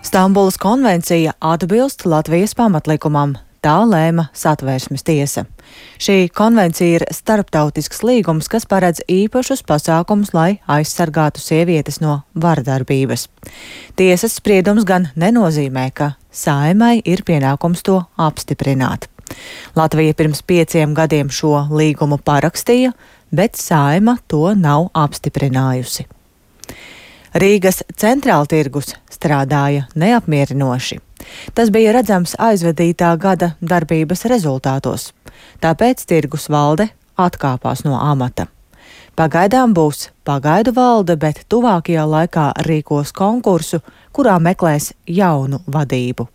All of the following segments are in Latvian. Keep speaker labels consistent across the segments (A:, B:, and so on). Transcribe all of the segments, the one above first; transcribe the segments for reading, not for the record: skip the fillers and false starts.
A: Stambulas konvencija atbilst Latvijas pamatlikumam, tā lēma Satversmes tiesa. Šī konvencija ir starptautisks līgums, kas paredz īpašus pasākumus, lai aizsargātu sievietes no vardarbības. Tiesas spriedums gan nenozīmē, ka Saeimai ir pienākums to apstiprināt. Latvija pirms 5 gadiem šo līgumu parakstīja, bet Saeima to nav apstiprinājusi. Rīgas centrāltirgus strādāja neapmierinoši. Tas bija redzams aizvadītā gada darbības rezultātos. Tāpēc tirgus valde atkāpās no amata. Pagaidām būs pagaidu valde, bet tuvākajā laikā rīkos konkursu, kurā meklēs jaunu vadību.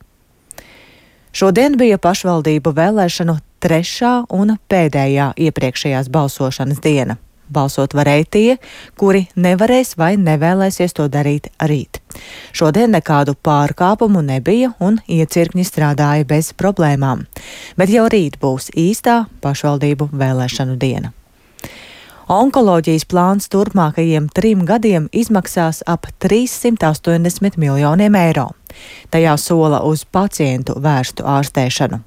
A: Šodien bija pašvaldību vēlēšanu 3. un pēdējā iepriekšējās balsošanas diena. Balsot varēja tie, kuri nevarēs vai nevēlēsies to darīt rīt. Šodien nekādu pārkāpumu nebija un iecirkņi strādāja bez problēmām. Bet jau rīt būs īstā pašvaldību vēlēšanu diena. Onkoloģijas plāns turpmākajiem 3 gadiem izmaksās ap 380 miljoniem eiro. Tajā sola uz pacientu vērstu ārstēšanu.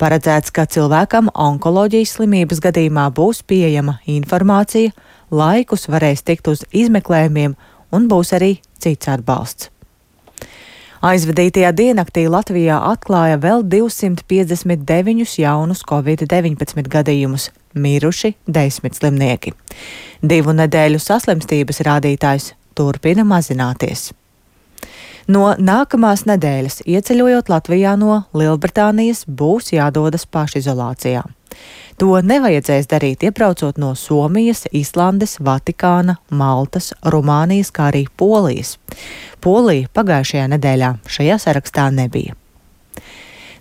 A: Paredzēts, ka cilvēkam onkoloģijas slimības gadījumā būs pieejama informācija, laikus varēs tikt uz izmeklējumiem un būs arī cits atbalsts. Aizvadītajā diennaktī Latvijā atklāja vēl 259 jaunus Covid-19 gadījumus, miruši 10 slimnieki. 2 nedēļu saslimstības rādītājs turpina mazināties. No nākamās nedēļas ieceļojot Latvijā no Lielbritānijas būs jādodas pašizolācijā. To nevajadzēs darīt iebraucot no Somijas, Islandes, Vatikāna, Maltas, Rumānijas, kā arī Polijas. Polija pagājušajā nedēļā šajā sarakstā nebija.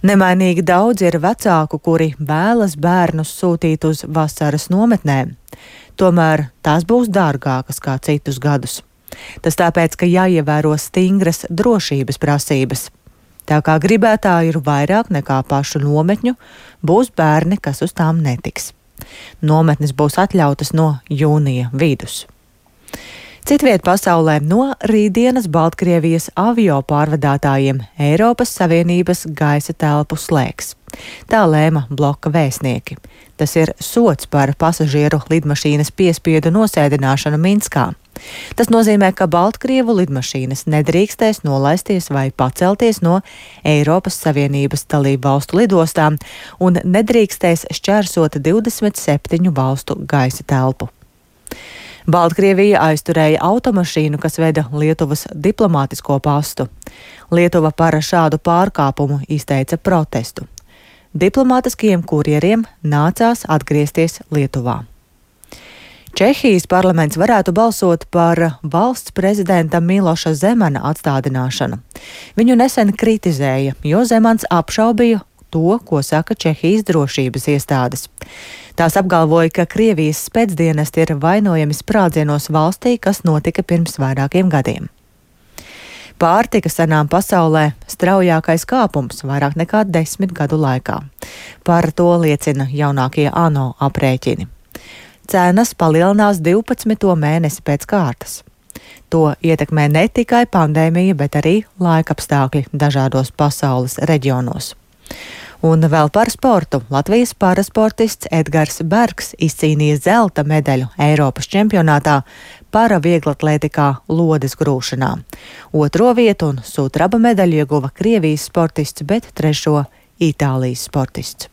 A: Nemainīgi daudz ir vecāku, kuri vēlas bērnus sūtīt uz vasaras nometnēm. Tomēr tās būs dārgākas kā citus gadus. Tas tāpēc, ka jāievēro stingras drošības prasības. Tā kā gribētāji ir vairāk nekā pašu nometņu, būs bērni, kas uz tām netiks. Nometnes būs atļautas no jūnija vidus. Citviet pasaulē no rītdienas Baltkrievijas avio pārvadātājiem Eiropas Savienības gaisa telpu slēgs. Tā lēma bloka vēstnieki. Tas ir sods par pasažieru lidmašīnas piespiedu nosēdināšanu Minskā. Tas nozīmē, ka Baltkrievu lidmašīnas nedrīkstēs nolaisties vai pacelties no Eiropas Savienības dalību valstu lidostām un nedrīkstēs šķērsot 27 valstu gaisa telpu. Baltkrievija aizturēja automašīnu, kas veda Lietuvas diplomātisko pastu. Lietuva par šādu pārkāpumu izteica protestu. Diplomātiskajiem kurjeriem nācās atgriezties Lietuvā. Čehijas parlaments varētu balsot par valsts prezidenta Miloša Zemana atstādināšanu. Viņu nesen kritizēja, jo Zemans apšaubīja to, ko saka Čehijas drošības iestādes. Tās apgalvoja, ka Krievijas spēcdienesti ir vainojami sprādzienos valstī, kas notika pirms vairākiem gadiem. Pārtikas cenām pasaulē straujākais kāpums vairāk nekā 10 gadu laikā. Par to liecina jaunākie ANO aprēķini. Cenas palielinās 12. mēnesi pēc kārtas. To ietekmē ne tikai pandēmija, bet arī laikapstākļi dažādos pasaules reģionos. Un vēl par sportu. Latvijas parasportists Edgars Bergs izcīnīja zelta medaļu Eiropas čempionātā paravieglatlētikā lodes grūšanā. 2. vietu un sudraba medaļu ieguva Krievijas sportists, bet 3. Itālijas sportists.